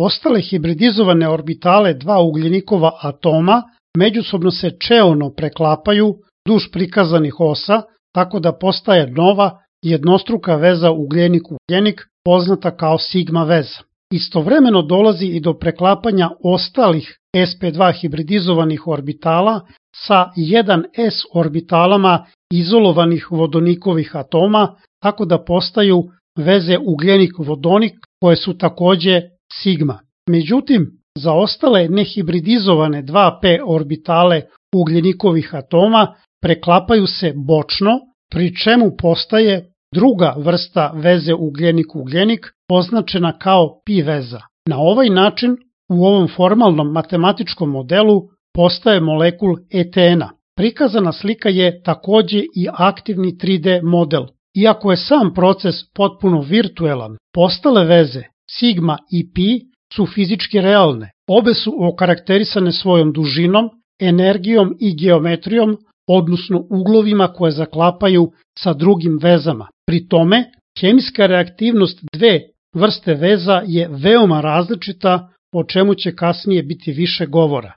Ostale hibridizovane orbitale dva ugljenikova atoma međusobno se čeono preklapaju duž prikazanih osa, tako da postaje nova jednostruka veza ugljenik-ugljenik, poznata kao sigma veza. Istovremeno dolazi i do preklapanja ostalih sp2 hibridizovanih orbitala sa 1s orbitalama izolovanih vodonikovih atoma, tako da postaju veze ugljenik-vodonik koje su takođe sigma. Međutim, za ostale nehibridizovane 2p orbitale ugljenikovih atoma preklapaju se bočno, pri čemu postaje druga vrsta veze ugljenik-ugljenik označena kao pi veza. Na ovaj način u ovom formalnom matematičkom modelu postaje molekul etena. Prikazana slika je takođe i aktivni 3D model. Iako je sam proces potpuno virtuelan, postale veze sigma i pi su fizički realne. Obe su okarakterisane svojom dužinom, energijom i geometrijom, odnosno uglovima koje zaklapaju sa drugim vezama. Pri tome, hemijska reaktivnost dve vrste veza je veoma različita, o čemu će kasnije biti više govora.